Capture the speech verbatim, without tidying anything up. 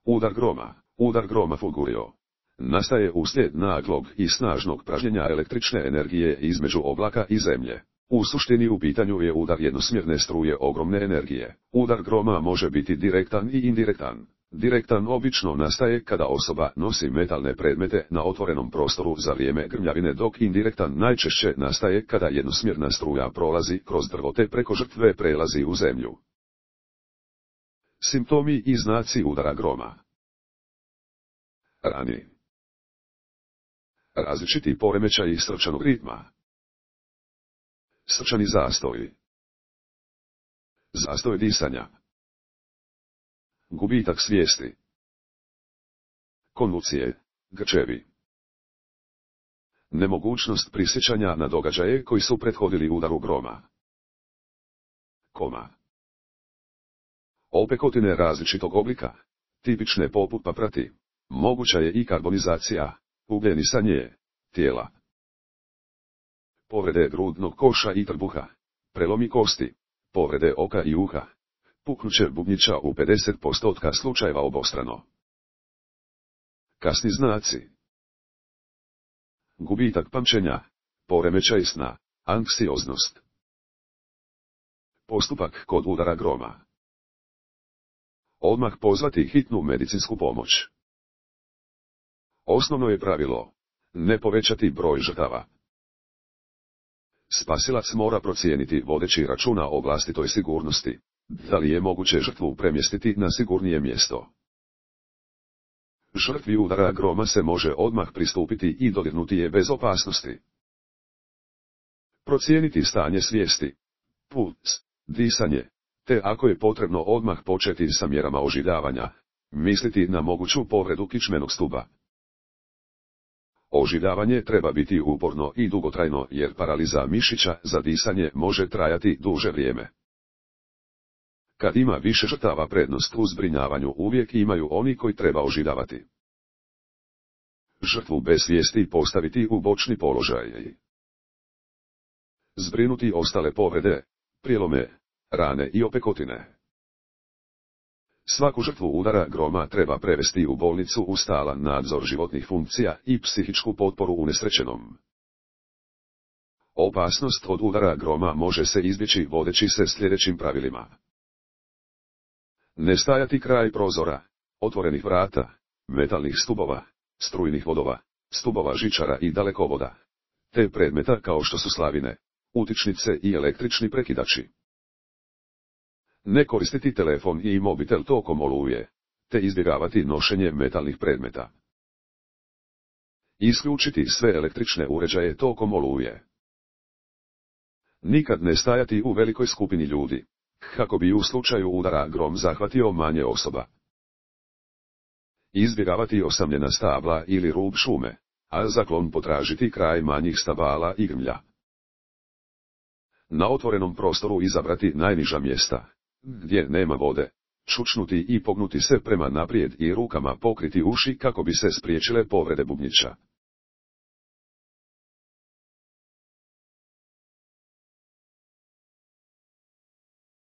Udar groma. Udar groma fulgurio nastaje uslijed naglog i snažnog pražnjenja električne energije između oblaka i zemlje. U suštini u pitanju je udar jednosmjerne struje ogromne energije. Udar groma može biti direktan i indirektan. Direktan obično nastaje kada osoba nosi metalne predmete na otvorenom prostoru za vrijeme grmljavine, dok indirektan najčešće nastaje kada jednosmjerna struja prolazi kroz drvo te preko žrtve prelazi u zemlju. Simptomi i znaci udara groma. Rani. Različiti poremećaji srčanog ritma. Srčani zastoj. Zastoj disanja. Gubitak svijesti. Konvulsije, grčevi. Nemogućnost prisjećanja na događaje koji su prethodili udaru groma. Koma. Opekotine različitog oblika, tipične poput paprati. Moguća je i karbonizacija, ugljenisanje tijela. Povrede grudnog koša i trbuha, prelomi kosti, povrede oka i uha, puknuće bubnjića u pedeset posto slučajeva obostrano. Kasni znaci. Gubitak pamćenja, poremećaj sna, anksioznost. Postupak kod udara groma. Odmah pozvati hitnu medicinsku pomoć. Osnovno je pravilo, ne povećati broj žrtava. Spasilac mora procijeniti vodeći računa o vlastitoj sigurnosti, da li je moguće žrtvu premjestiti na sigurnije mjesto. Žrtvi udara groma se može odmah pristupiti i dodirnuti je bez opasnosti. Procijeniti stanje svijesti, puls, disanje, te ako je potrebno odmah početi sa mjerama oživljavanja, misliti na moguću povredu kičmenog stuba. Oživljavanje treba biti uporno i dugotrajno jer paraliza mišića za disanje može trajati duže vrijeme. Kad ima više žrtava, prednost u zbrinjavanju uvijek imaju oni koji treba oživljavati. Žrtvu bez svijesti postaviti u bočni položaj. Zbrinuti ostale povrede, prijelome, rane i opekotine. Svaku žrtvu udara groma treba prevesti u bolnicu u stalan nadzor životnih funkcija i psihičku potporu unesrećenom. Opasnost od udara groma može se izbjeći vodeći se sljedećim pravilima. Ne stajati kraj prozora, otvorenih vrata, metalnih stubova, strujnih vodova, stubova žičara i dalekovoda, te predmeta kao što su slavine, utičnice i električni prekidači. Ne koristiti telefon i mobitel tokom oluje, te izbjegavati nošenje metalnih predmeta. Isključiti sve električne uređaje tokom oluje. Nikad ne stajati u velikoj skupini ljudi, kako bi u slučaju udara grom zahvatio manje osoba. Izbjegavati osamljena stabla ili rub šume, a za klon potražiti kraj manjih stabala i grmlja. Na otvorenom prostoru izabrati najniža mjesta, gdje nema vode, čučnuti i pognuti se prema naprijed i rukama pokriti uši kako bi se spriječile povrede bubnjića.